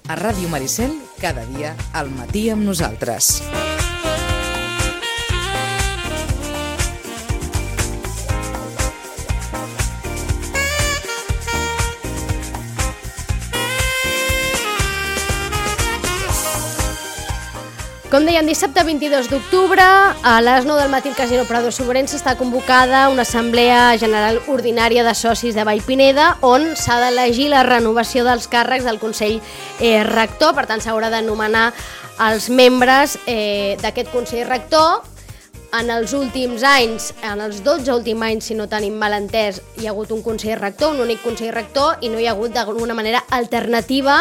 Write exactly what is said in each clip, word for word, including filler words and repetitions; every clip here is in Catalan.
A Ràdio Maricel, cada dia al matí amb nosaltres. Com dèiem, dissabte vint-i-dos d'octubre, a les nou del matí al Casino Prado Sobrense està convocada una assemblea general ordinària de socis de Vallpineda on s'ha d'elegir la renovació dels càrrecs del Consell eh, Rector. Per tant, s'haurà de nomenar els membres eh, d'aquest Consell Rector. En els últims anys, en els dotze últims anys, si no tenim mal entès, hi ha hagut un Consell Rector, un únic Consell Rector, i no hi ha hagut d'alguna manera alternativa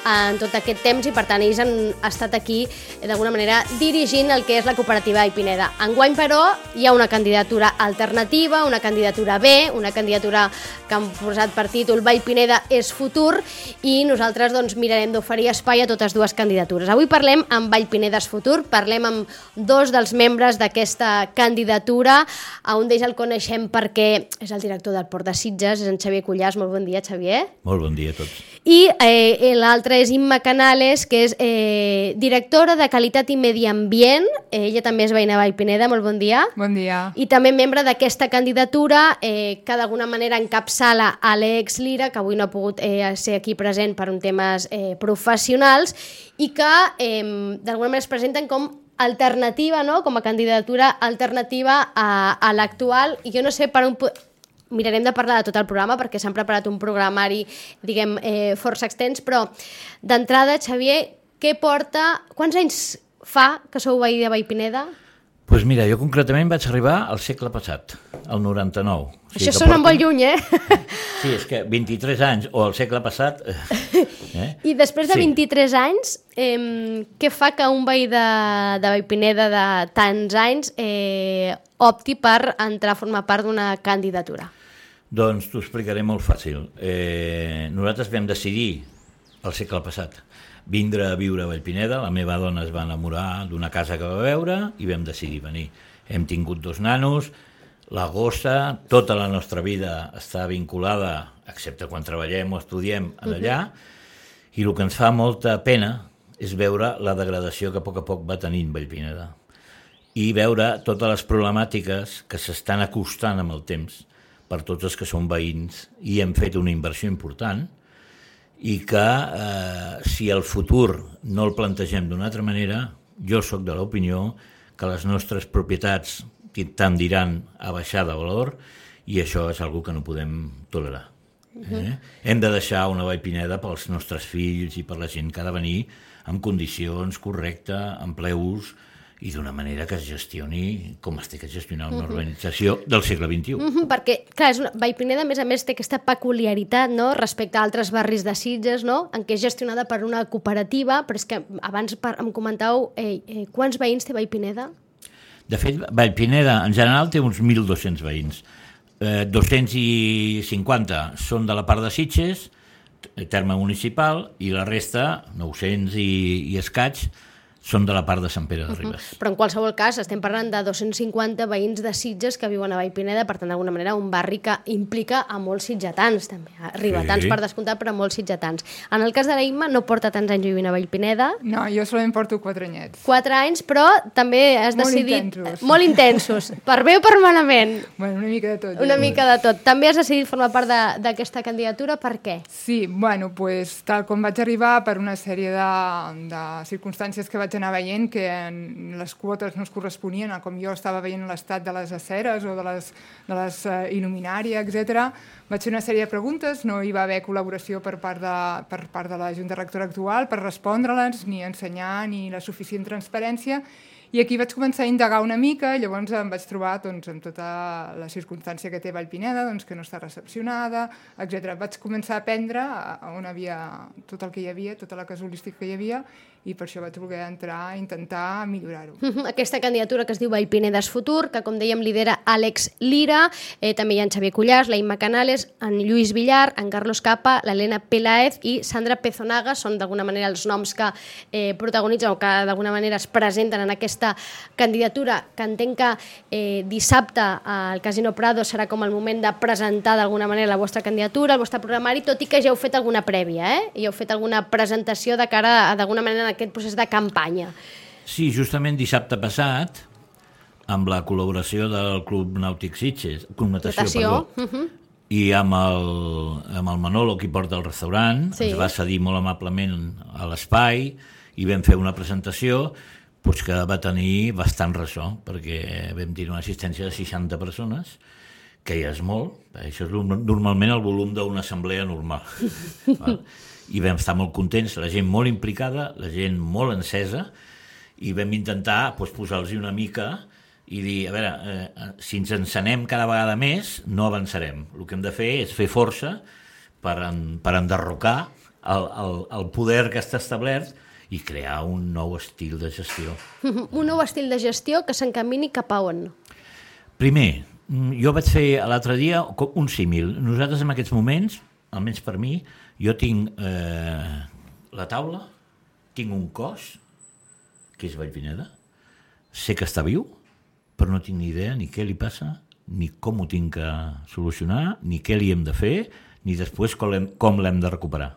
en tot aquest temps, i per tant ells han estat aquí d'alguna manera dirigint el que és la cooperativa Vallpineda. Enguany, però, hi ha una candidatura alternativa, una candidatura B, una candidatura que han posat per títol Vallpineda és futur, i nosaltres doncs, mirarem d'oferir espai a totes dues candidatures. Avui parlem amb Vallpineda és futur, parlem amb dos dels membres d'aquesta candidatura. A un d'ells el coneixem perquè és el director del Port de Sitges, és en Xavier Cuyàs. Molt bon dia, Xavier. Molt bon dia a tots. I eh, l'altre és Imma Canales, que és eh, directora de Qualitat i Medi Ambient. Eh, ella també és veïna de Vallpineda. Molt bon dia. Bon dia. I també membre d'aquesta candidatura, eh, que d'alguna manera encapçala Àlex Lira, que avui no ha pogut eh, ser aquí present per un temes eh, professionals, i que eh, d'alguna manera es presenten com alternativa, no? Com a candidatura alternativa a, a l'actual. I jo no sé per on... Mirarem de parlar de tot el programa perquè s'han preparat un programari, diguem, eh, força extens, però d'entrada, Xavier, què porta... Quants anys fa que sou veí de Vallpineda? Doncs pues mira, jo concretament vaig arribar al segle passat, al noranta-nou. O sigui Això sona porti... molt lluny, eh? Sí, és que vint-i-tres anys, o al segle passat... Eh? I després de sí. vint-i-tres anys, eh, què fa que un veí de, de Vallpineda de tants anys eh, opti per entrar a formar part d'una candidatura? Doncs t'ho explicaré molt fàcil. Eh, nosaltres vam decidir, al segle passat, vindre a viure a Vallpineda. La meva dona es va enamorar d'una casa que va veure i vam decidir venir. Hem tingut dos nanos, la gossa, tota la nostra vida està vinculada, excepte quan treballem o estudiem, allà, uh-huh. i el que ens fa molta pena és veure la degradació que a poc a poc va tenint Vallpineda i veure totes les problemàtiques que s'estan acostant amb el temps per tots els que són veïns, i hem fet una inversió important, i que eh, si el futur no el plantegem d'una altra manera, jo sóc de l'opinió que les nostres propietats tendiran a baixar de valor, i això és una cosa que no podem tolerar. Eh? Uh-huh. Hem de deixar una Vallpineda pels nostres fills i per la gent que ha de venir en condicions correctes, en ple ús, i d'una manera que es gestioni com es té que gestionar una urbanització del segle vint-i-u. Uh-huh, perquè, clar, és una... Vallpineda, a més a més, té aquesta peculiaritat, no?, respecte a altres barris de Sitges, no?, en què és gestionada per una cooperativa, però és que abans em comentàveu eh, eh, quants veïns té Vallpineda? De fet, Vallpineda, en general, té uns mil dos-cents veïns. Eh, dos-cents cinquanta són de la part de Sitges, terme municipal, i la resta, nou-cents i, i escaig, són de la part de Sant Pere de Ribes. Uh-huh. Però en qualsevol cas estem parlant de dos-cents cinquanta veïns de Sitges que viuen a Vallpineda, per tant, d'alguna manera, un barri que implica a molts sitgetans, també. A ribetans, sí, per descomptat, però a molts sitgetans. En el cas de la Imma, no porta tants anys vivint a Vallpineda. No, jo solament porto quatre anyets. Quatre anys, però també has molt decidit... Intensos. Molt intensos. Per bé o per malament? Bueno, una mica de tot. Una ja. mica de tot. També has decidit formar part d'aquesta candidatura, per què? Sí, bueno, pues, tal com vaig arribar, per una sèrie de, de circumstàncies que vaig anar veient, que les quotes no es corresponien a com jo estava veient l'estat de les aceres o de les, de les uh, il·luminàries, etcètera. Vaig fer una sèrie de preguntes, no hi va haver col·laboració per part de, per part de la Junta Rectora actual per respondre-les, ni ensenyar, ni la suficient transparència. I aquí vaig començar a indagar una mica, llavors em vaig trobar doncs, amb tota la circumstància que té Vallpineda, doncs, que no està recepcionada, etcètera. Vaig començar a aprendre on havia tot el que hi havia, tota la casuística que hi havia, i per això vaig voler entrar a intentar millorar-ho. Aquesta candidatura que es diu Vallpineda és futur, que com dèiem lidera Àlex Lira, eh, també hi ha en Xavier Cuyàs, la Imma Canales, en Lluís Villar, en Carlos Capa, l'Helena Peláez i Sandra Pezonaga, són d'alguna manera els noms que eh, protagonitzen o que d'alguna manera es presenten en aquesta aquesta candidatura, que entenc que eh, dissabte al Casino Prado serà com el moment de presentar d'alguna manera la vostra candidatura, el vostre programari, tot i que ja heu fet alguna prèvia, eh? I heu fet alguna presentació de cara, d'alguna manera, en aquest procés de campanya. Sí, justament dissabte passat, amb la col·laboració del Club Nàutic Sitges, Club Natació, Natació. perdó, Uh-huh. i amb el, amb el Manolo, qui porta el restaurant, Sí. ens va cedir molt amablement a l'espai i vam fer una presentació doncs, que va tenir bastant ressò, perquè vam tenir una assistència de seixanta persones, que ja és molt, això és normalment el volum d'una assemblea normal. Val? I vam estar molt contents, la gent molt implicada, la gent molt encesa, i vam intentar doncs, posar-los una mica i dir, a veure, eh, si ens encenem cada vegada més, no avançarem. El que hem de fer és fer força per, en, per enderrocar el, el, el poder que està establert i crear un nou estil de gestió. Un nou estil de gestió que s'encamini cap a on? Primer, jo vaig fer l'altre dia un símil. Nosaltres en aquests moments, almenys per mi, jo tinc eh, la taula, tinc un cos, que és Vallpineda, sé que està viu, però no tinc ni idea ni què li passa, ni com ho tinc que solucionar, ni què li hem de fer, ni després com l'hem, com l'hem de recuperar.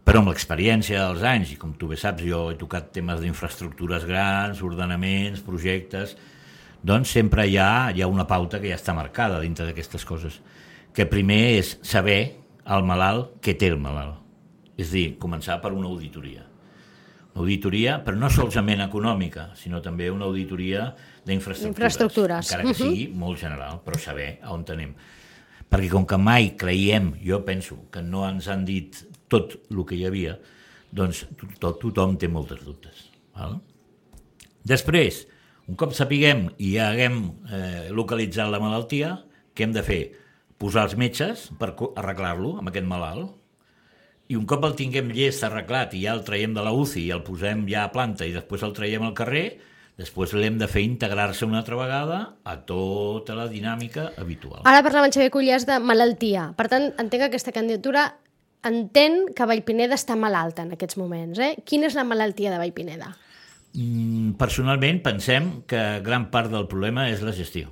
Però amb l'experiència dels anys, i com tu bé saps, jo he tocat temes d'infraestructures grans, ordenaments, projectes, doncs sempre hi ha, hi ha una pauta que ja està marcada dintre d'aquestes coses, que primer és saber al malalt què té el malalt. És a dir, començar per una auditoria. Una auditoria, però no solament econòmica, sinó també una auditoria d'infraestructures, Infraestructures. encara que sigui molt general, però saber a on tenim. Perquè com que mai creiem, jo penso que no ens han dit tot el que hi havia, doncs tot, tothom té moltes dubtes. Val? Després, un cop sapiguem i ja haguem eh, localitzat la malaltia, què hem de fer? Posar els metges per arreglar-lo amb aquest malalt, i un cop el tinguem llest, arreglat, i ja el traiem de la U C I i el posem ja a planta i després el traiem al carrer, després l'hem de fer integrar-se una altra vegada a tota la dinàmica habitual. Ara parlava en Xavier Cullers de malaltia. Per tant, entenc que aquesta candidatura entén que Vallpineda està malalta en aquests moments. Eh? Quina és la malaltia de Vallpineda? Mm, personalment pensem que gran part del problema és la gestió.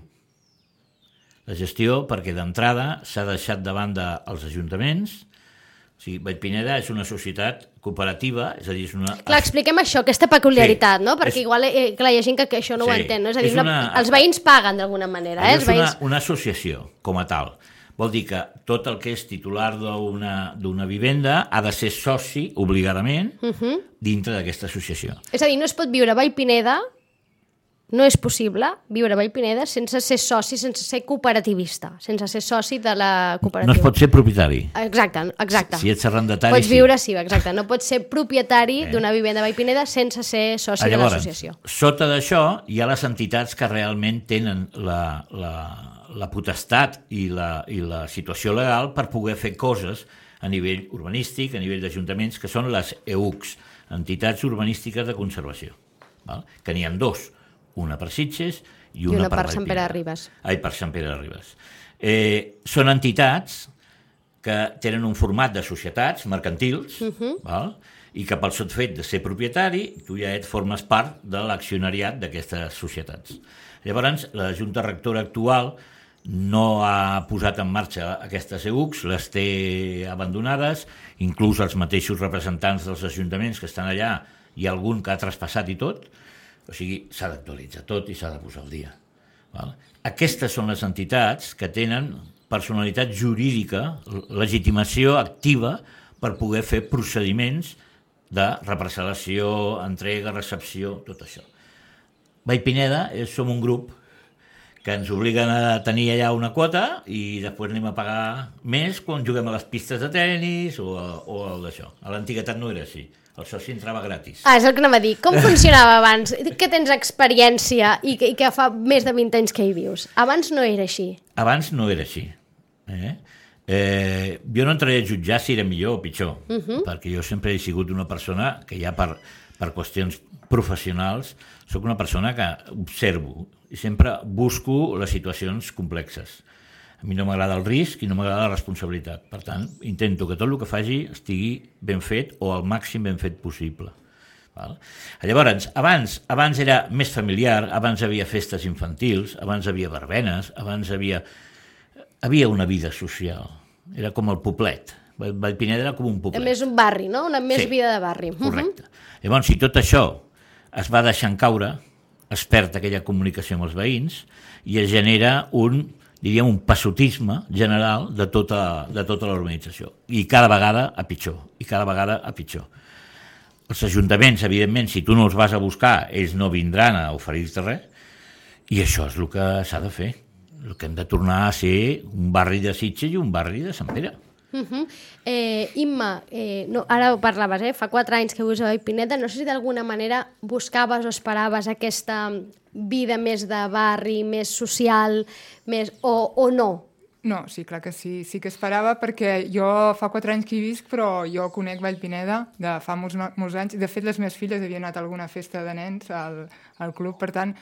La gestió perquè d'entrada s'ha deixat de banda els ajuntaments. O sigui, Vallpineda és una societat cooperativa, és a dir, és una... Clar, expliquem això, aquesta peculiaritat, Sí, no? Perquè és- igual eh, clar, hi ha gent que, que això no ho Sí, entén, no? És a dir, és una... una- els veïns paguen d'alguna manera, eh? Allò Els és una, veïns... una associació, com a tal. Vol dir que tot el que és titular d'una d'una vivenda ha de ser soci, obligadament, uh-huh. dintre d'aquesta associació. És a dir, no es pot viure a Vallpineda, no és possible viure a Vallpineda sense ser soci, sense ser cooperativista, sense ser soci de la cooperativa. No es pot ser propietari. Exacte, exacte. Si ets arrendatari, Pots sí. viure, sí, exacte. No pots ser propietari Eh. d'una vivenda a Vallpineda sense ser soci Ah, de llavors, l'associació. sota d'això hi ha les entitats que realment tenen la, la, la potestat i la, i la situació legal per poder fer coses a nivell urbanístic, a nivell d'ajuntaments, que són les E U Cs, entitats urbanístiques de conservació, val? Que n'hi ha dos, una per Sitges i una, una per, per Sant Pere Vallpineda. de Ribes. Ai, per Sant Pere de Ribes. Eh, són entitats que tenen un format de societats mercantils, uh-huh. val? I que pel sol fet de ser propietari, tu ja et formes part de l'accionariat d'aquestes societats. Llavors, la Junta Rectora actual no ha posat en marxa aquestes E U Cs, les té abandonades, inclús els mateixos representants dels ajuntaments que estan allà, hi ha algun que ha traspassat i tot, o sigui, s'ha d'actualitzar tot i s'ha de posar al dia. Val? Aquestes són les entitats que tenen personalitat jurídica, legitimació activa per poder fer procediments de reparcel·lació, entrega, recepció, tot això. Vallpineda és, som un grup que ens obliguen a tenir allà una quota i després anem a pagar més quan juguem a les pistes de tennis o, a, o al d'això. A l'antiguitat no era així. El soci entrava gratis. Ah, és el que anava a dir. Com funcionava abans? Que tens experiència i que, i que fa més de vint anys que hi vius. Abans no era així. Abans no era així. Eh? Eh, jo no entraré a jutjar si era millor o pitjor, uh-huh. perquè jo sempre he sigut una persona que ja per, per qüestions professionals sóc una persona que observo i sempre busco les situacions complexes. A mi no m'agrada el risc i no m'agrada la responsabilitat. Per tant, intento que tot el que faci estigui ben fet o al màxim ben fet possible. Val? Llavors, abans, abans era més familiar, abans havia festes infantils, abans havia verbenes, abans havia... Havia una vida social. Era com el poblet. Vallpineda era com un poblet. Més un barri, no? Una més sí, vida de barri. Correcte. Uh-huh. Llavors, si tot això es va deixant caure, es perd aquella comunicació amb els veïns i es genera un, diríem, un passotisme general de tota, de tota la urbanització. I cada vegada a pitjor. I cada vegada a pitjor. Els ajuntaments, evidentment, si tu no els vas a buscar, ells no vindran a oferir-te res, i això és el que s'ha de fer. El que hem de tornar a ser un barri de Sitges i un barri de Sant Pere. Uh-huh. eh, Imma, eh, no, ara ho parlaves, eh? Fa quatre anys que vius a Vallpineda, no sé si d'alguna manera buscaves o esperaves aquesta vida més de barri, més social, més, o, o no? No, sí, clar que sí, sí que esperava, perquè jo fa quatre anys que hi visc, però jo conec Vallpineda de fa molts, molts anys. De fet, les meves filles havien anat a alguna festa de nens al, al club, per tant,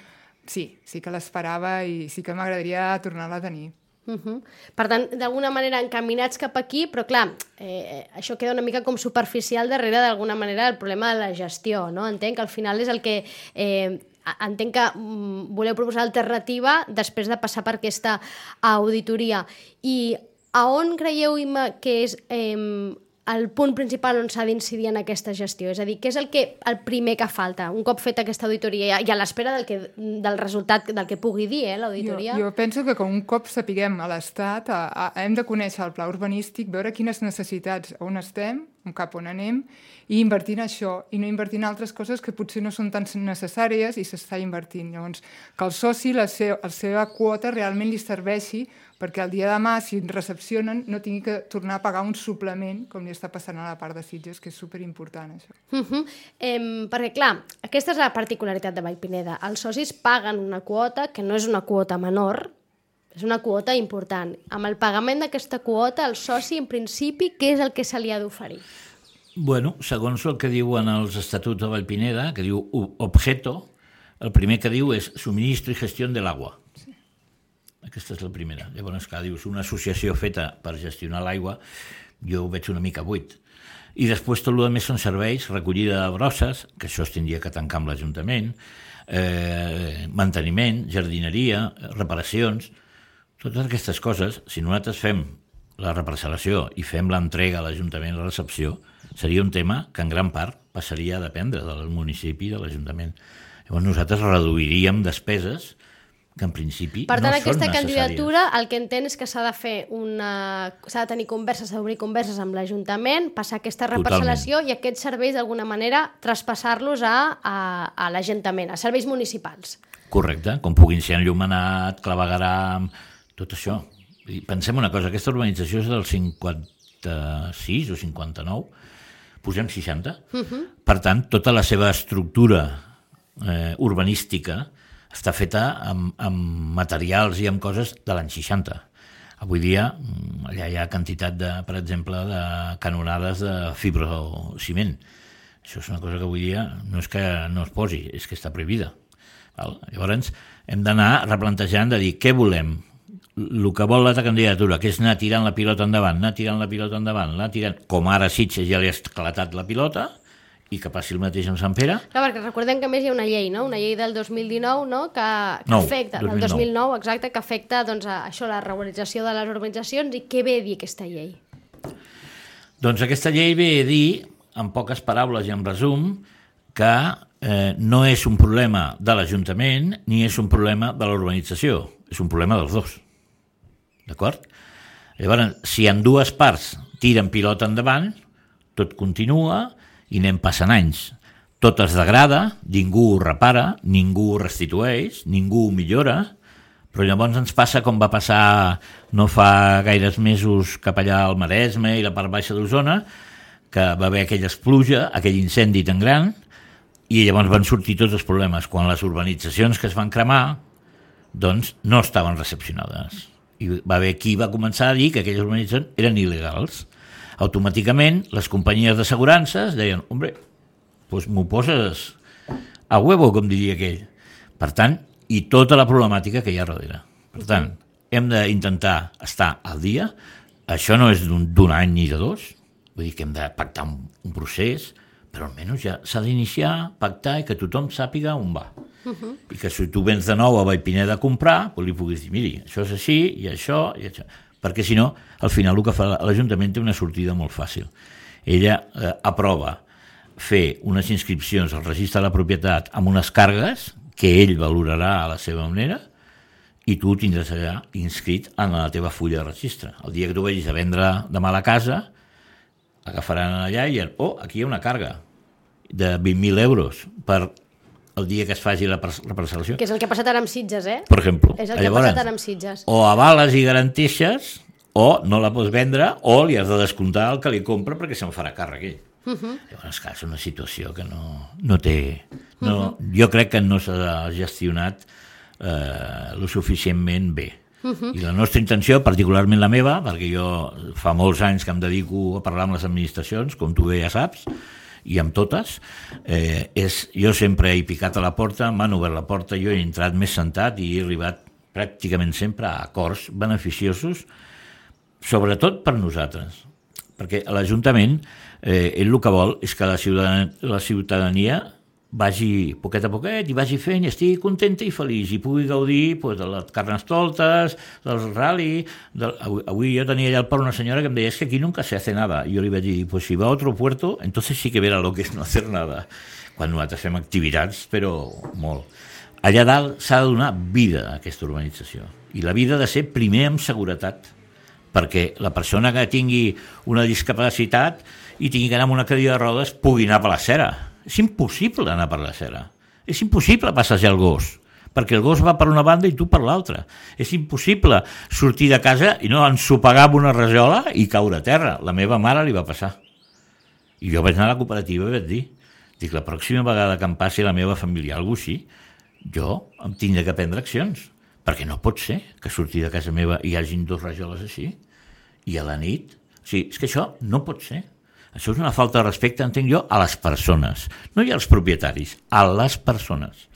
sí, sí que l'esperava i sí que m'agradaria tornar-la a tenir. Uh-huh. Per tant, d'alguna manera encaminats cap aquí, però clar, eh, això queda una mica com superficial darrere d'alguna manera el problema de la gestió, no? Entenc que al final és el que... Eh, entenc que mm, voleu proposar alternativa després de passar per aquesta auditoria. I a on creieu, Imma, que és... Eh, el punt principal on s'ha d'incidir en aquesta gestió? És a dir, què és el, que, el primer que falta un cop feta aquesta auditoria i a l'espera del, que, del resultat del que pugui dir eh, l'auditoria? Jo, jo penso que com un cop sapiguem a l'Estat a, a, hem de conèixer el pla urbanístic, veure quines necessitats, on estem, cap on anem, i invertir en això, i no invertir en altres coses que potser no són tan necessàries i s'està invertint. Llavors, que el soci, la, seu, la seva quota realment li serveixi perquè el dia de demà, si recepcionen, no tingui que tornar a pagar un suplement, com li està passant a la part de Sitges, que és superimportant, això. Uh-huh. eh, perquè, clar, aquesta és la particularitat de Vallpineda. Els socis paguen una quota que no és una quota menor, és una quota important. Amb el pagament d'aquesta quota, el soci, en principi, què és el que se li ha d'oferir? Bueno, segons el que diuen els estatuts de Vallpineda, que diu objeto, el primer que diu és subministro i gestió de l'aigua. Sí. Aquesta és la primera. Llavors, que dius, una associació feta per gestionar l'aigua, jo ho veig una mica buit. I després tot el que més són serveis, recollida de brosses, que això es tindria que tancar amb l'Ajuntament, eh, manteniment, jardineria, reparacions, totes aquestes coses, si nosaltres fem la reparcel·lació i fem l'entrega a l'Ajuntament, la recepció, seria un tema que en gran part passaria a dependre del municipi i de l'Ajuntament. Llavors nosaltres reduiríem despeses que en principi per tant, no aquesta són candidatura el que entén és que s'ha de fer una... s'ha de tenir converses, s'ha d'obrir converses amb l'Ajuntament, passar aquesta reparcel·lació i aquests serveis d'alguna manera traspassar-los a, a, a l'Ajuntament, a serveis municipals. Correcte, com puguin ser enllumenat, clavegueram, tot això. I pensem una cosa, aquesta urbanització és del cinquanta-sis o cinquanta-nou, posem seixanta, uh-huh. Per tant, tota la seva estructura eh, urbanística està feta amb, amb materials i amb coses de l'any seixanta. Avui dia allà hi ha quantitat, de, per exemple, de canonades de fibrociment. Això és una cosa que avui dia no és que no es posi, és que està prohibida. Val? Llavors hem d'anar replantejant de dir què volem. El que vol la candidatura, que és anar tirant la pilota endavant, anar tirant la pilota endavant, anar tirant, com ara Sitges ja li ha esclatat la pilota, i que passi el mateix amb Sant Pere. Clar, perquè recordem que a més hi ha una llei, no? Una llei del dos mil dinou, no? Que, que no, afecta, del dos mil nou, exacte, que afecta doncs, a això, la regularització de les urbanitzacions. I què ve a dir aquesta llei? Doncs aquesta llei ve a dir, en poques paraules i en resum, que eh, no és un problema de l'Ajuntament ni és un problema de l'urbanització, és un problema dels dos. D'acord? Llavors, si en dues parts tiren pilota endavant, tot continua i anem passant anys. Tot es degrada, ningú ho repara, ningú ho restitueix, ningú ho millora, però llavors ens passa com va passar no fa gaires mesos cap allà al Maresme i la part baixa d'Osona, que va haver aquella pluja, aquell incendi tan gran, i llavors van sortir tots els problemes. Quan les urbanitzacions que es van cremar, doncs no estaven recepcionades. I va haver qui va començar a dir que aquelles urbanitzacions eren il·legals. Automàticament, les companyies d'assegurances deien, hombre, doncs m'ho poses a huevo, com diria aquell. Per tant, i tota la problemàtica que hi ha darrere. Per tant, hem d'intentar estar al dia. Això no és d'un any ni de dos. Vull dir que hem de pactar un, un procés, però almenys ja s'ha d'iniciar, pactar i que tothom sàpiga on va. Uh-huh. I que si tu vens de nou a Vallpineda a comprar, doncs li puguis dir, miri, això és així, i això, i això. Perquè si no, al final el que fa l'Ajuntament té una sortida molt fàcil. Ella eh, aprova fer unes inscripcions al registre de la propietat amb unes càrregues que ell valorarà a la seva manera i tu tindràs allà inscrit en la teva fulla de registre. El dia que tu vagis a vendre demà a la casa, agafaran allà i diran, oh, aquí hi ha una càrrega de vint mil euros per el dia que es faci la, la parcel·lació. Que és el que ha passat ara amb Sitges, eh? Per exemple. És el que Llavors, ha passat ara amb Sitges. O avales i garanteixes, o no la pots vendre, o li has de descomptar el que li compra perquè se'n farà càrrec ell. Uh-huh. Llavors, clar, és una situació que no, no té... No, uh-huh. Jo crec que no s'ha gestionat eh, lo suficientment bé. Uh-huh. I la nostra intenció, particularment la meva, perquè jo fa molts anys que em dedico a parlar amb les administracions, com tu bé ja saps, i amb totes, eh, és, jo sempre he picat a la porta, m'han obert la porta, jo he entrat més sentat i he arribat pràcticament sempre a acords beneficiosos, sobretot per nosaltres, perquè l'Ajuntament, eh, ell el que vol és que la ciutadania, la ciutadania vagi poquet a poquet i vagi fent i estigui contenta i feliç i pugui gaudir pues, de les carnestoltes, del rally. Del... Avui, avui jo tenia allà al port una senyora que em deia es que aquí nunca se hace nada. I jo li vaig dir, pues si va a otro puerto, entonces sí que verá lo que es no hacer nada. Quan nosaltres fem activitats, però molt. Allà dalt s'ha de donar vida a aquesta urbanització. I la vida ha de ser primer amb seguretat, perquè la persona que tingui una discapacitat i tingui que anar amb una cadira de rodes pugui anar per la cera. És impossible anar per la cera. És impossible passejar el gos, perquè el gos va per una banda i tu per l'altra. És impossible sortir de casa i no ensopegar amb una rajola i caure a terra. La meva mare li va passar. I jo vaig anar a la cooperativa i vaig dir, dic, la pròxima vegada que em passi la meva família alguna cosa així, jo em tindré que prendre accions, perquè no pot ser que sortir de casa meva hi hagin dos rajoles així, i a la nit. O sigui, és que això no pot ser. Això és una falta de respecte, entenc jo, a les persones. No hi ha els propietaris, a les persones.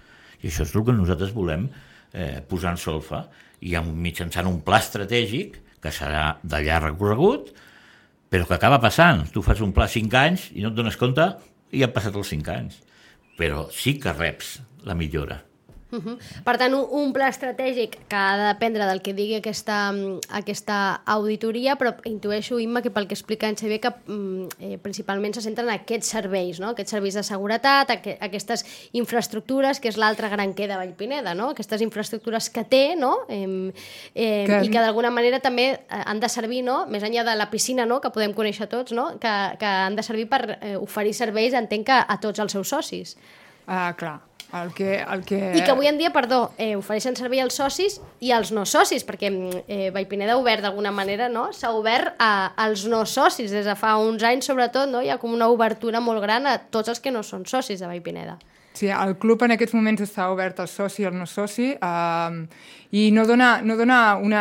I això és el que nosaltres volem eh, posar en solfa i mitjançant un pla estratègic que serà de llarg recorregut, però que acaba passant. Tu fas un pla cinc anys i no et dones compte i han passat els cinc anys. Però sí que reps la millora. Uh-huh. Per tant, un, un pla estratègic que ha de dependre del que digui aquesta, aquesta auditoria, però intueixo, Imma, que pel que explica en Xavier, que eh, principalment se centren en aquests serveis, no? Aquests serveis de seguretat, aqu aquestes infraestructures, que és l'altre gran què de Vallpineda, no? Aquestes infraestructures que té, no? Eh, eh, que... i que d'alguna manera també han de servir, no? Més enllà de la piscina, no? Que podem conèixer tots, no? Que, que han de servir per eh, oferir serveis, entenc, que a tots els seus socis. Ah, clar. El que, el que... I que avui en dia, perdó, eh, ofereixen servei als socis i als no socis, perquè eh, Vallpineda ha obert d'alguna manera, no? S'ha obert a, als no socis des de fa uns anys, sobretot, no? Hi ha com una obertura molt gran a tots els que no són socis de Vallpineda. Sí, el club en aquests moments està obert al soci i al no soci eh, i no dona, no dona una,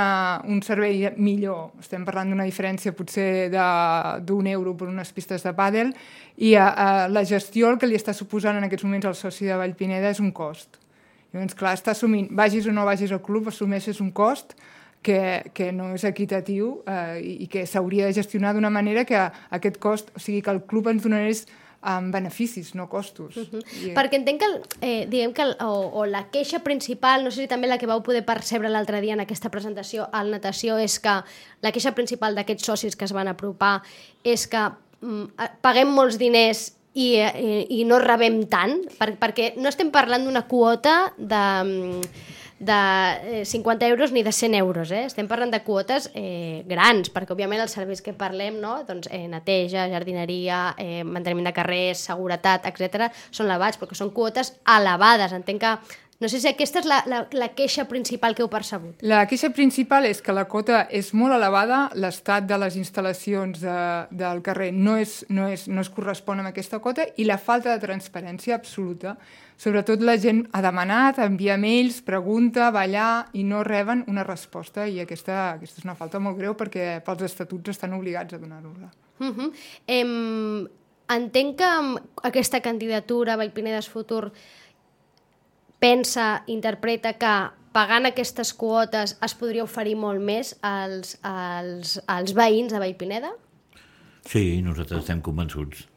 un servei millor. Estem parlant d'una diferència potser d'un euro per unes pistes de pàdel i eh, la gestió el que li està suposant en aquests moments al soci de Vallpineda és un cost. Llavors, clar, està assumint, vagis o no vagis al club, assumeixes un cost que, que no és equitatiu eh, i que s'hauria de gestionar d'una manera que aquest cost, o sigui, que el club ens donés amb beneficis, no costos. Uh-huh. I... Perquè entenc que, eh, diguem que el, o, o la queixa principal, no sé si també la que vau poder percebre l'altre dia en aquesta presentació al Natació, és que la queixa principal d'aquests socis que es van apropar és que mm, paguem molts diners i, i, i no rebem tant, per, perquè no estem parlant d'una quota de... de cinquanta euros ni de cent euros, eh? Estem parlant de quotes eh, grans, perquè òbviament els serveis que parlem, no? Doncs, eh, neteja, jardineria, eh, manteniment de carrers, seguretat, etcètera, són elevats, perquè són quotes elevades. Entenc que no sé si aquesta és la, la, la queixa principal que heu percebut. La queixa principal és que la quota és molt elevada, l'estat de les instal·lacions de, del carrer no, és, no, és, no es correspon amb aquesta quota i la falta de transparència absoluta. Sobretot la gent ha demanat, envia mails, pregunta, va allà i no reben una resposta i aquesta, aquesta és una falta molt greu perquè pels estatuts estan obligats a donar-ho-la. Uh-huh. em, entenc que aquesta candidatura Vallpineda's Futur pensa, interpreta que pagant aquestes quotes es podria oferir molt més als, als, als veïns de Vallpineda? Sí, nosaltres estem convençuts.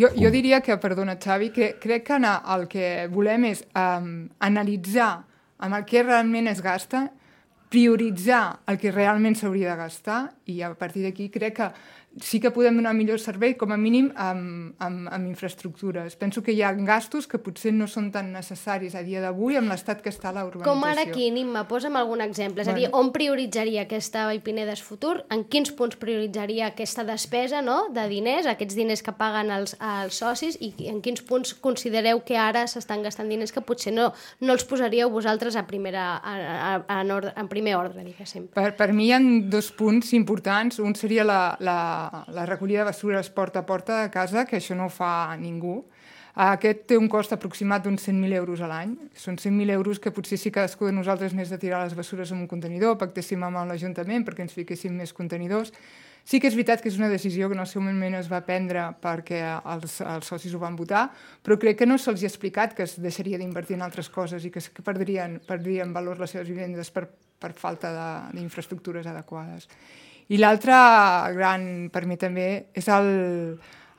Jo, jo diria que, perdona, Xavi, que crec que el que volem és um, analitzar amb el que realment es gasta, prioritzar el que realment s'hauria de gastar i a partir d'aquí crec que sí que podem donar millor servei, com a mínim, amb, amb, amb infraestructures. Penso que hi ha gastos que potser no són tan necessaris a dia d'avui amb l'estat que està la urbanització. Com ara aquí, Nimma, posa'm algun exemple. És bueno. a dir, on prioritzaria aquesta Vallpinedes futur? En quins punts prioritzaria aquesta despesa, no?, de diners, aquests diners que paguen els, els socis, i en quins punts considereu que ara s'estan gastant diners que potser no, no els posaríeu vosaltres a primera, a, a, a, en, ordre, en primer ordre, diguéssim? Per, per mi hi ha dos punts importants. Un seria la, la la recollida de bessures porta a porta de casa, que això no ho fa ningú. Aquest té un cost aproximat d'uns cent mil euros a l'any. Són cent mil euros que potser si cadascú de nosaltres n'és de tirar les bessures en un contenidor, pactéssim amb l'Ajuntament perquè ens fiquéssim més contenidors. Sí que és veritat que és una decisió que en el seu moment es va prendre perquè els, els socis ho van votar, però crec que no se'ls ha explicat que es deixaria d'invertir en altres coses i que, que perdrien, perdrien valor les seves vivendes per, per falta d'infraestructures adequades. I l'altre gran, per mi també, és el,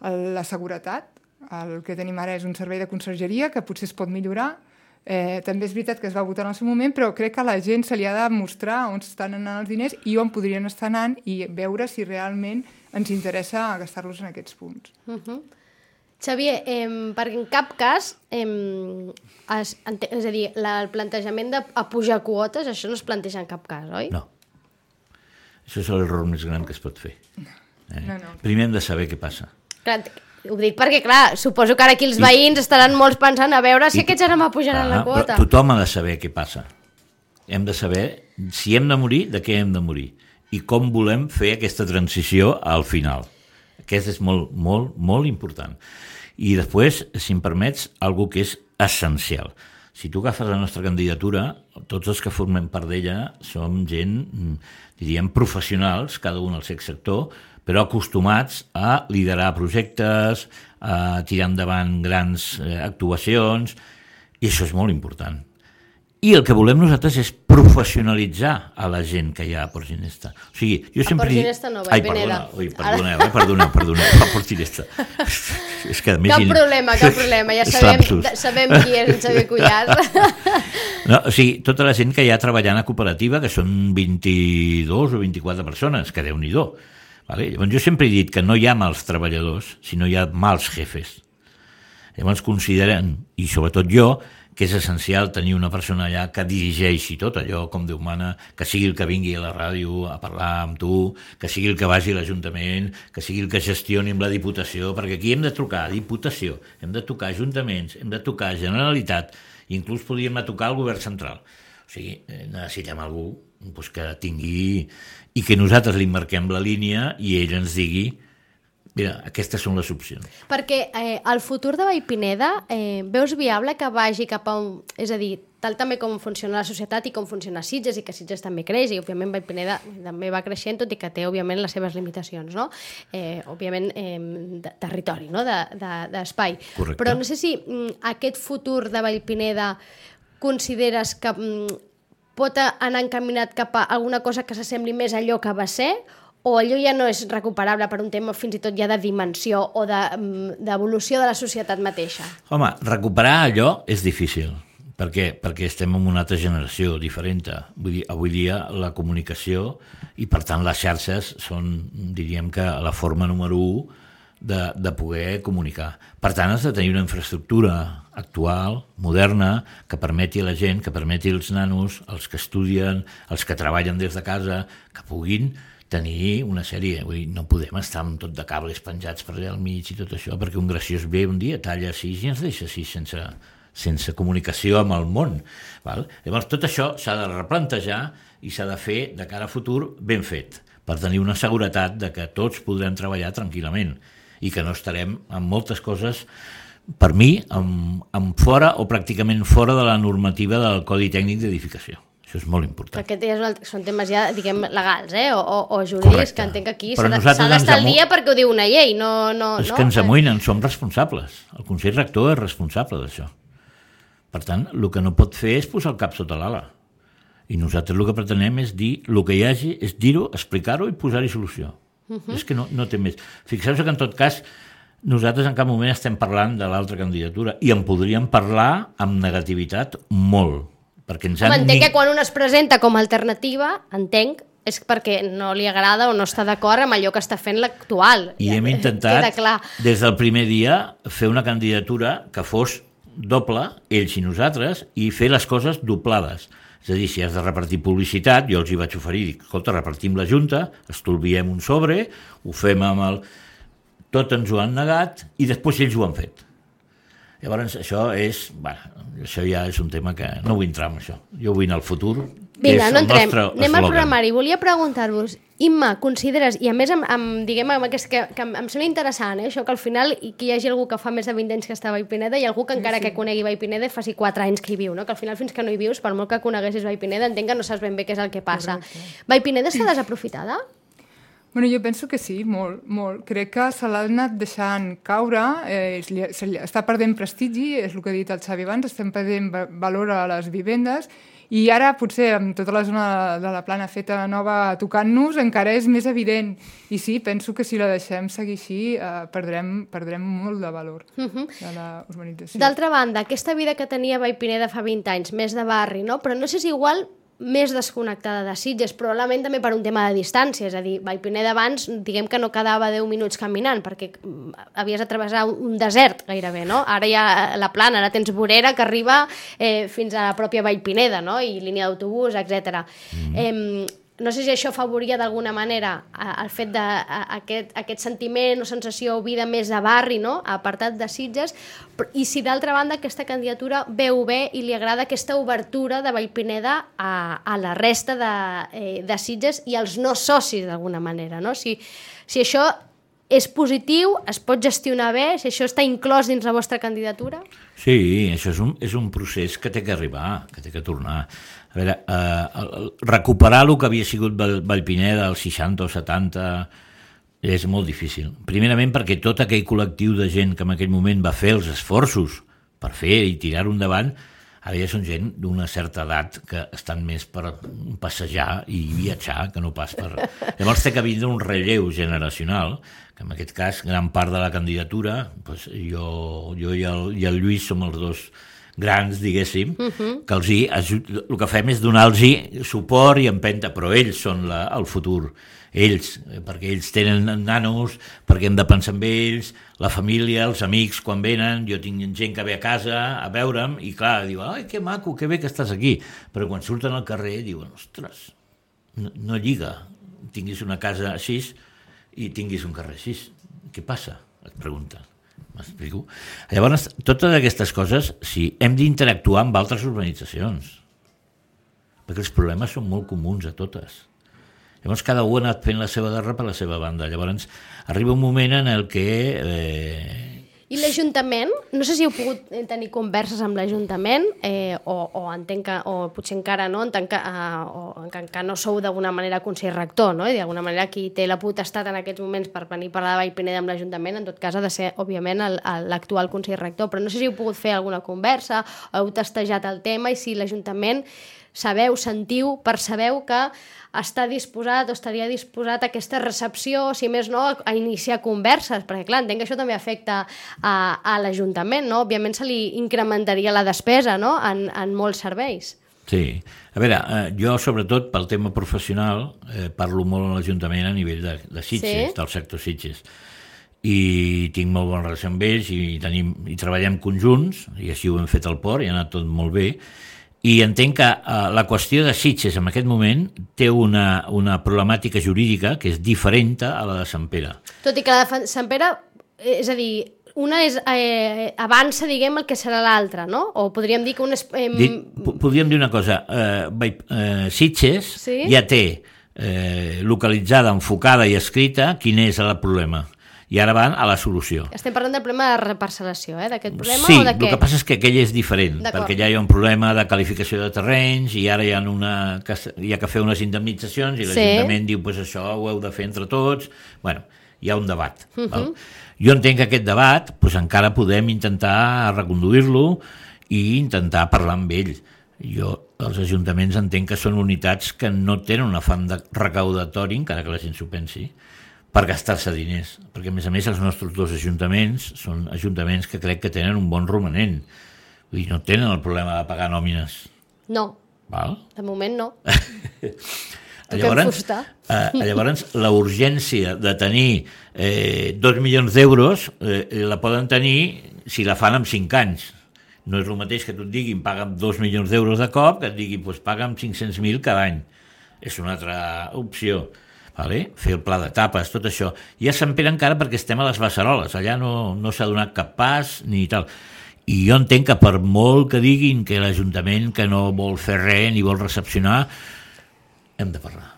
el, la seguretat. El que tenim ara és un servei de consergeria que potser es pot millorar. Eh, també és veritat que es va votar en el seu moment, però crec que a la gent se li ha de mostrar on estan anant els diners i on podrien estar anant i veure si realment ens interessa gastar-los en aquests punts. Uh-huh. Xavier, eh, perquè en cap cas, eh, es, és a dir, la, el plantejament de a pujar quotes, això no es planteja en cap cas, oi? No. Això és l'error més gran que es pot fer. Eh? No, no. Primer hem de saber què passa. Clar, ho dic perquè, clar, suposo que ara aquí els I... veïns estaran molts pensant a veure si I... aquests ara m'apujaran ah, la quota. Tothom ha de saber què passa. Hem de saber si hem de morir, de què hem de morir, i com volem fer aquesta transició al final. Aquest és molt, molt, molt important. I després, si em permets, algo que és essencial. Si tu agafes la nostra candidatura, tots els que formem part d'ella som gent, diríem, professionals, cada un al seu sector, però acostumats a liderar projectes, a tirar endavant grans actuacions, i això és molt important. I el que volem nosaltres és professionalitzar a la gent que hi ha a Port Ginesta. O sigui, jo sempre... A Port Ginesta no, Vallpineda. Ai, perdona, perdoneu, eh, perdoneu, perdoneu, a Port Ginesta. És que, cap in... problema, cap problema, ja sabem, sabem qui és el Xavier Cuyàs. No, o sigui, tota la gent que hi ha treballant a cooperativa, que són vint-i-dos o vint-i-quatre persones, que Déu-n'hi-do. Vale? Llavors, jo sempre he dit que no hi ha mals treballadors, sinó hi ha mals jefes. Llavors consideren, i sobretot jo, que és essencial tenir una persona allà que dirigeixi tot allò, com Déu mana, que sigui el que vingui a la ràdio a parlar amb tu, que sigui el que vagi a l'Ajuntament, que sigui el que gestioni amb la Diputació, perquè aquí hem de trucar a Diputació, hem de tocar Ajuntaments, hem de tocar Generalitat, i inclús podríem tocar el Govern Central. O sigui, necessitem algú doncs, que tingui... i que nosaltres li marquem la línia i ell ens digui mira, aquestes són les opcions. Perquè eh, el futur de Vallpineda eh, veus viable que vagi cap a un... És a dir, tal també com funciona la societat i com funciona Sitges, i que Sitges també creix, i òbviament Vallpineda també va creixent, tot i que té, òbviament, les seves limitacions, no? Eh, òbviament, eh, de territori, no? D'espai. De, de, Però no sé si mm, aquest futur de Vallpineda consideres que mm, pot anar encaminat cap a alguna cosa que s'assembli més a allò que va ser, o allò ja no és recuperable per un tema fins i tot ja de dimensió o d'evolució de, de la societat mateixa? Home, recuperar allò és difícil. Per què? Perquè estem en una altra generació diferent. Vull dir, avui dia la comunicació i, per tant, les xarxes són, diríem que, la forma número u de, de poder comunicar. Per tant, has de tenir una infraestructura actual, moderna, que permeti a la gent, que permeti als nanos, els que estudien, els que treballen des de casa, que puguin tenir una sèrie, vull dir, no podem estar amb tot de cables penjats per allà al mig i tot això, perquè un graciós ve un dia, talla així i ens deixa així sense, sense comunicació amb el món. Val? Llavors tot això s'ha de replantejar i s'ha de fer de cara a futur ben fet, per tenir una seguretat de que tots podrem treballar tranquil·lament i que no estarem amb moltes coses, per mi, amb, amb fora o pràcticament fora de la normativa del Codi Tècnic d'Edificació. Això és molt important. Perquè és una, són temes ja, diguem, legals, eh? o, o, o jurídics, correcte, que entenc que aquí s'ha d'estar al dia perquè ho diu una llei, no... no és no? que ens amoïnen, som responsables. El Consell Rector és responsable d'això. Per tant, el que no pot fer és posar el cap sota l'ala. I nosaltres el que pretenem és dir el que hi hagi, és dir-ho, explicar-ho i posar-hi solució. Uh-huh. És que no, no té més. Fixeu-vos que en tot cas Nosaltres en cap moment estem parlant de l'altra candidatura i en podríem parlar amb negativitat molt. Perquè ens han... Home, entenc que quan un es presenta com a alternativa, entenc, és perquè no li agrada o no està d'acord amb allò que està fent l'actual. I hem intentat, des del primer dia, fer una candidatura que fos doble, ells i nosaltres, i fer les coses doblades. És a dir, si has de repartir publicitat, jo els hi vaig oferir, dic, escolta, repartim la junta, estolviem un sobre, ho fem amb el... Tot ens ho han negat i després ells ho han fet. Llavors, això és... Bueno, això ja és un tema que no vull entrar en això. Jo vull anar al futur, que Vinga, és no el entrem. nostre Anem al eslògan. programari. Volia preguntar-vos, Imma, consideres, i a més, amb, amb, diguem, amb aquest, que, que em sembla interessant, eh, això que al final que hi hagi algú que fa més de vint anys que està a Vallpineda i algú que encara sí, sí. que conegui Vallpineda faci quatre anys que hi viu, no? Que al final fins que no hi vius, per molt que coneguessis Vallpineda, entenc que no saps ben bé què és el que passa. Correcte. Vallpineda està desaprofitada? Bueno, jo penso que sí, molt, molt. Crec que se l'ha anat deixant caure, eh, li, se li, està perdent prestigi, és el que ha dit el Xavi abans, estem perdent valor a les vivendes, i ara potser amb tota la zona de la plana feta nova tocant-nos encara és més evident. I sí, penso que si la deixem seguir així eh, perdrem, perdrem molt de valor uh-huh. de la urbanització. D'altra banda, aquesta vida que tenia Vallpineda fa vint anys, més de barri, no? Però no sé si igual més desconnectada de Sitges, probablement també per un tema de distància, és a dir, Vallpineda abans, diguem que no quedava deu minuts caminant, perquè havies de travessar un desert gairebé, no? Ara hi ha la plana, ara tens vorera que arriba eh, fins a la pròpia Vallpineda, no? I línia d'autobús, etcètera. Mm-hmm. Eh, no sé si això afavoria d'alguna manera el fet d'aquest aquest sentiment o sensació o vida més de barri, no? Apartat de Sitges, i si d'altra banda aquesta candidatura veu bé i li agrada aquesta obertura de Vallpineda a, a la resta de, eh, de Sitges i als no socis d'alguna manera, no? Si, si això és positiu, es pot gestionar bé, si això està inclòs dins la vostra candidatura? Sí, això és un, és un procés que té que arribar, que té que tornar. A veure, eh, recuperar el que havia sigut Vallpineda als seixanta o setanta és molt difícil. Primerament perquè tot aquell col·lectiu de gent que en aquell moment va fer els esforços per fer i tirar-ho endavant, ara ja són gent d'una certa edat que estan més per passejar i viatjar que no pas per... Llavors té que vindre un relleu generacional, que en aquest cas gran part de la candidatura, doncs jo, jo i, el, i el Lluís som els dos grans, diguéssim, uh-huh. que els hi, el que fem és donar-los suport i empenta, però ells són la, el futur. Ells, perquè ells tenen nanos, perquè hem de pensar en ells, la família, els amics quan venen, jo tinc gent que ve a casa a veure'm i clar, diuen, ai, que maco, que bé que estàs aquí, però quan surten al carrer diuen, ostres, no, no lliga, tinguis una casa així i tinguis un carrer així, què passa? Et pregunten. M'explico? Llavors, totes aquestes coses, sí, hem d'interactuar amb altres urbanitzacions, perquè els problemes són molt comuns a totes. Llavors cada un ha anat fent la seva guerra per la seva banda. Llavors arriba un moment en el que... Eh... I l'Ajuntament? No sé si heu pogut tenir converses amb l'Ajuntament eh, o, o entenc que, o potser encara no, entenc que, uh, o que, que no sou d'alguna manera consell rector, no? I d'alguna manera qui té la potestat en aquests moments per venir a parlar de Vallpineda amb l'Ajuntament, en tot cas ha de ser, òbviament, l'actual consell rector. Però no sé si heu pogut fer alguna conversa, o heu testejat el tema i si l'Ajuntament sabeu, sentiu, percebeu que està disposat o estaria disposat a aquesta recepció, si més no, a iniciar converses, perquè clar, entenc que això també afecta a, a l'Ajuntament, no? Òbviament se li incrementaria la despesa, no?, en, en molts serveis. Sí. A veure, eh, jo sobretot pel tema professional eh, parlo molt a l'Ajuntament a nivell de, de Sitges, sí? Del sector Sitges. I tinc molt bona relació amb ells i, tenim, i treballem conjunts, i així ho hem fet al port, i ha anat tot molt bé. I entenc que uh, la qüestió de Sitges en aquest moment té una, una problemàtica jurídica que és diferent a la de Sant Pere. Tot i que la de Sant Pere, és a dir, una és, eh, avança, diguem, el que serà l'altra, no? O podríem dir que una... És, eh... Dit, podríem dir una cosa, eh, eh, Sitges sí? ja té eh, localitzada, enfocada i escrita quin és el problema. I ara van a la solució. Estem parlant del problema de reparcel·lació, eh? D'aquest problema sí, o de què? Sí, el que passa és que aquell és diferent, perquè ja hi ha un problema de qualificació de terrenys i ara hi ha, una, hi ha que fer unes indemnitzacions i l'Ajuntament sí. diu, pues això ho heu de fer entre tots. Bueno, hi ha un debat. Uh-huh. Val? Jo entenc que aquest debat pues, encara podem intentar reconduir-lo i intentar parlar amb ell. Jo, els ajuntaments entenc que són unitats que no tenen un afany de recaudatori, encara que la gent s'ho pensi, per gastar-se diners, perquè a més a més els nostres dos ajuntaments són ajuntaments que crec que tenen un bon romanent, vull dir, no tenen el problema de pagar nòmines. No, Val? de moment no. Llavors, eh, llavors la urgència de tenir eh, dos milions d'euros eh, la poden tenir si la fan en cinc anys. No és el mateix que tu et diguin paga'm dos milions d'euros de cop que et diguin pues, paga'm cinc-cents mil cada any. És una altra opció. Vale? Fer el pla d'etapes, tot això. I a Sant Pere encara perquè estem a les Beceroles, allà no, no s'ha donat cap pas ni tal. I jo entenc que per molt que diguin que l'Ajuntament que no vol fer res ni vol recepcionar, hem de parlar,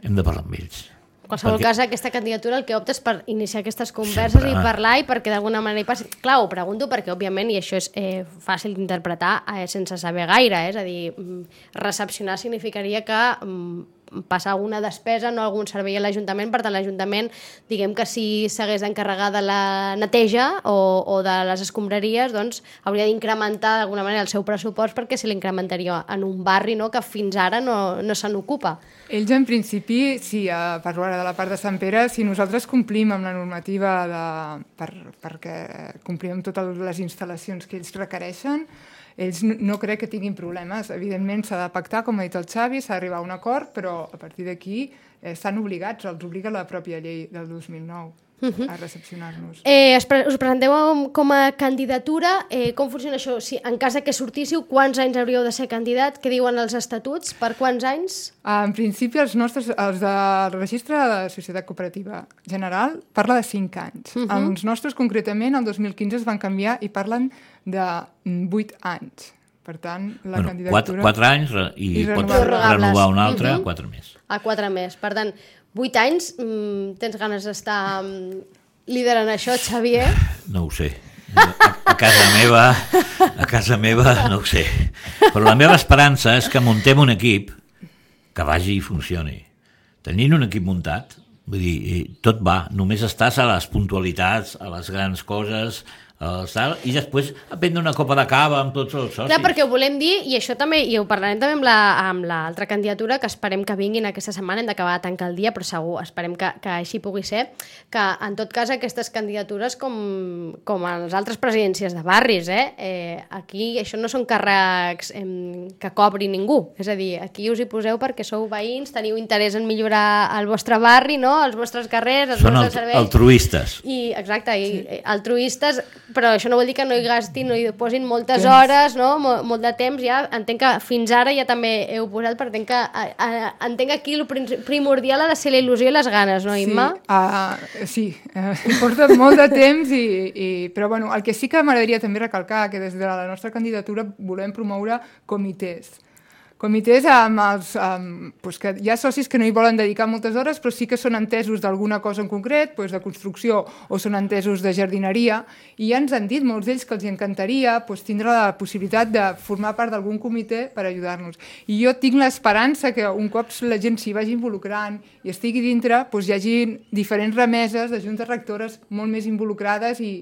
hem de parlar amb ells. En qualsevol perquè... cas, aquesta candidatura el que opta és per iniciar aquestes converses Sempre. i parlar i perquè d'alguna manera hi passi. Clar, ho pregunto perquè, òbviament, i això és eh, fàcil d'interpretar eh, sense saber gaire, eh? És a dir, recepcionar significaria que mm, passar alguna despesa, no algun servei a l'Ajuntament, per tant l'Ajuntament, diguem que si s'hagués d'encarregar de la neteja o, o de les escombraries, doncs hauria d'incrementar d'alguna manera el seu pressupost perquè se l'incrementaria en un barri, no?, que fins ara no, no se n'ocupa. Ells, en principi, sí, a parlar de la part de Sant Pere, si nosaltres complim amb la normativa de, per, perquè complim amb totes les instal·lacions que ells requereixen, ells no crec que tinguin problemes. Evidentment s'ha de pactar, com ha dit el Xavi, s'ha d'arribar a un acord, però a partir d'aquí eh, estan obligats, els obliga la pròpia llei del dos mil nou a recepcionar-nos. Eh, us presenteu com a candidatura, eh, com funciona això? Si, en cas que sortíssiu, quants anys hauríeu de ser candidat? Què diuen els estatuts? Per quants anys? En principi, els nostres, els del registre de la Societat Cooperativa General parla de cinc anys. Uh -huh. Els nostres, concretament, el dos mil quinze es van canviar i parlen de vuit anys. Per tant, la bueno, candidatura... Quatre, quatre anys i, i pots renovables. renovar un altre a uh -huh. quatre més. A quatre més. Per tant, vuit anys, mm, tens ganes d'estar mm, liderant això, Xavier? No ho sé. A, a casa meva, a casa meva no ho sé. Però la meva esperança és que muntem un equip que vagi i funcioni. Tenint un equip muntat, vull dir, tot va, només estàs a les puntualitats, a les grans coses, tal, i després a prendre una copa de cava amb tots els socis. Clar, perquè ho volem dir, i això també, i ho parlarem també amb la, amb l'altra candidatura, que esperem que vinguin aquesta setmana, hem d'acabar de tancar el dia, però segur, esperem que, que així pugui ser, que en tot cas aquestes candidatures, com, com a les altres presidències de barris, eh, eh, aquí això no són càrrecs eh, que cobri ningú, és a dir, aquí us hi poseu perquè sou veïns, teniu interès en millorar el vostre barri, no?, els vostres carrers, els són vostres serveis. Són altruistes. I, exacte, i, sí. altruistes, però això no vol dir que no hi gastin, no hi posin moltes hores, no? Mol, molt de temps, ja entenc que fins ara ja també heu posat, perquè entenc que, a, a, entenc que aquí el primordial ha de ser la il·lusió i les ganes, no, Imma? Sí, uh, sí. Uh, porta molt de temps, i, i, però bueno, el que sí que m'agradaria també recalcar, que des de la nostra candidatura volem promoure comitès. Comitès amb els, amb, doncs que hi ha socis que no hi volen dedicar moltes hores, però sí que són entesos d'alguna cosa en concret, doncs de construcció, o són entesos de jardineria, i ja ens han dit molts d'ells que els encantaria doncs, tindre la possibilitat de formar part d'algun comitè per ajudar-nos. I jo tinc l'esperança que un cop la gent s'hi vagi involucrant i estigui dintre, doncs hi hagi diferents remeses de juntes rectores molt més involucrades i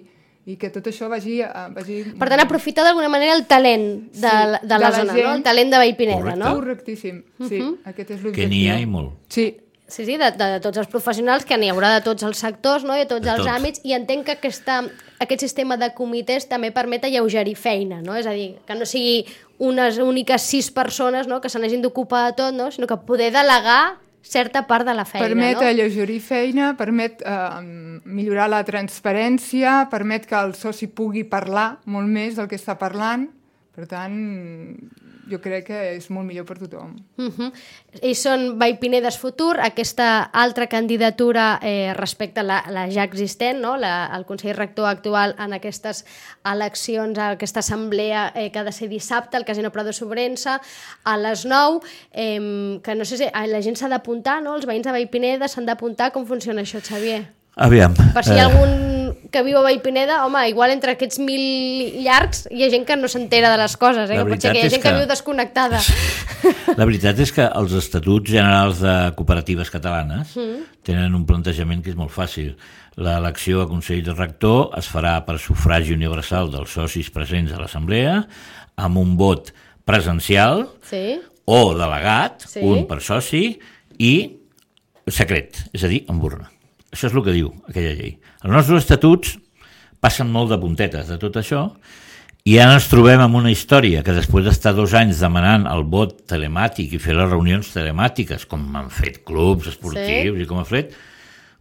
i que tot això vagi... vagi... Per tant, aprofitar d'alguna manera el talent de, sí, de, la, de la zona, gent, no? El talent de Vallpineda, correcte. No? Correctíssim, sí, uh-huh. Aquest és l'objectiu. Que n'hi ha i molt. Sí. Sí, sí, de, de, de tots els professionals, que n'hi haurà de tots els sectors, no?, i de tots de els tots. àmbits, i entenc que aquesta, aquest sistema de comitès també permet alleugerir feina, no? És a dir, que no sigui unes úniques sis persones, no?, que se n'hagin d'ocupar de tot, no?, sinó que poder delegar certa part de la feina, permet no? Permet alleugerir feina, permet eh, millorar la transparència, permet que el soci pugui parlar molt més del que està parlant. Per tant, jo crec que és molt millor per tothom. Uh-huh. I són Vallpinedes Futur, aquesta altra candidatura eh, respecte a la, la ja existent, no? la, el Consell Rector actual en aquestes eleccions, a aquesta assemblea eh, que ha de ser dissabte, al Casino Prado Sobrense, a les nou, eh, que no sé si la gent s'ha d'apuntar, no? Els veïns de Vallpineda s'han d'apuntar. Com funciona això, Xavier? Aviam. Per si hi ha algun que viu a Vallpineda, home, igual entre aquests mil llargs hi ha gent que no s'entera de les coses, eh? Que pot ser que hi ha gent que... que viu desconnectada. La veritat és que els estatuts generals de cooperatives catalanes mm. tenen un plantejament que és molt fàcil. L'elecció a Consell de Rector es farà per sufragi universal dels socis presents a l'assemblea, amb un vot presencial sí. o delegat, sí. un per soci, i secret, és a dir, amb urna. Això és el que diu aquella llei. Els nostres estatuts passen molt de puntetes de tot això i ara ens trobem amb una història que després d'estar dos anys demanant el vot telemàtic i fer les reunions telemàtiques, com han fet clubs esportius sí. i com ha fet,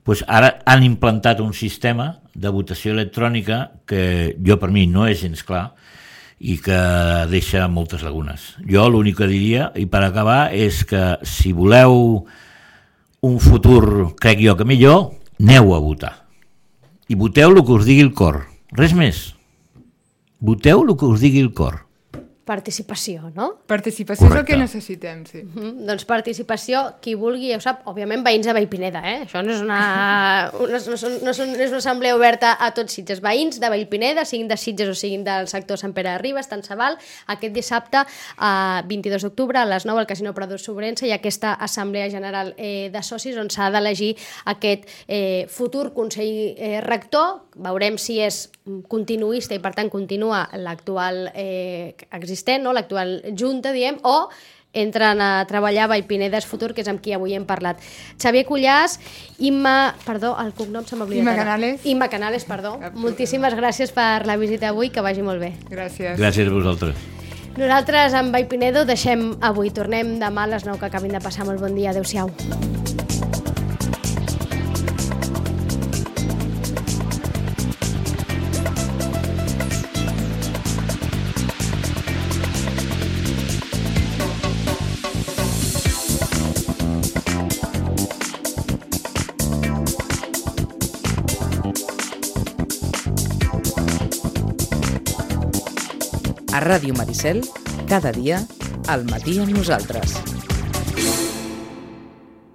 doncs ara han implantat un sistema de votació electrònica que jo per mi no és gens clar i que deixa moltes lagunes. Jo l'únic que diria, i per acabar, és que si voleu un futur, crec jo que millor, aneu a votar. I voteu el que us digui el cor. Res més. Voteu el que us digui el cor. Participació, no? Participació Correcte. És el que necessitem, sí. Mm-hmm. Doncs participació, qui vulgui, ja ho sap, òbviament veïns de Vallpineda, eh? Això no és una, una, no són, no són, és una assemblea oberta a tots Sitges. Veïns de Vallpineda, siguin de Sitges o siguin del sector Sant Pere de Ribes, tant se val, aquest dissabte, eh, vint-i-dos d'octubre, a les nou, al Casino Prador Sobrense, i aquesta assemblea general eh, de socis on s'ha d'elegir aquest eh, futur Consell eh, Rector. Veurem si és continuista i, per tant, continua l'actual eh, existent, no? L'actual junta, diem, o entren a treballar a Vallpineda és Futur, que és amb qui avui hem parlat. Xavier Cullàs, Imma... Perdó, el cognom se m'ha oblidat. Imma Canales. Imma Canales, perdó. Moltíssimes gràcies per la visita avui, que vagi molt bé. Gràcies. Gràcies a vosaltres. Nosaltres, amb Vallpinedo, deixem avui. Tornem demà a les nou, que acabin de passar molt bon dia. Adéu-siau. A Ràdio Maricel, cada dia, al matí amb nosaltres.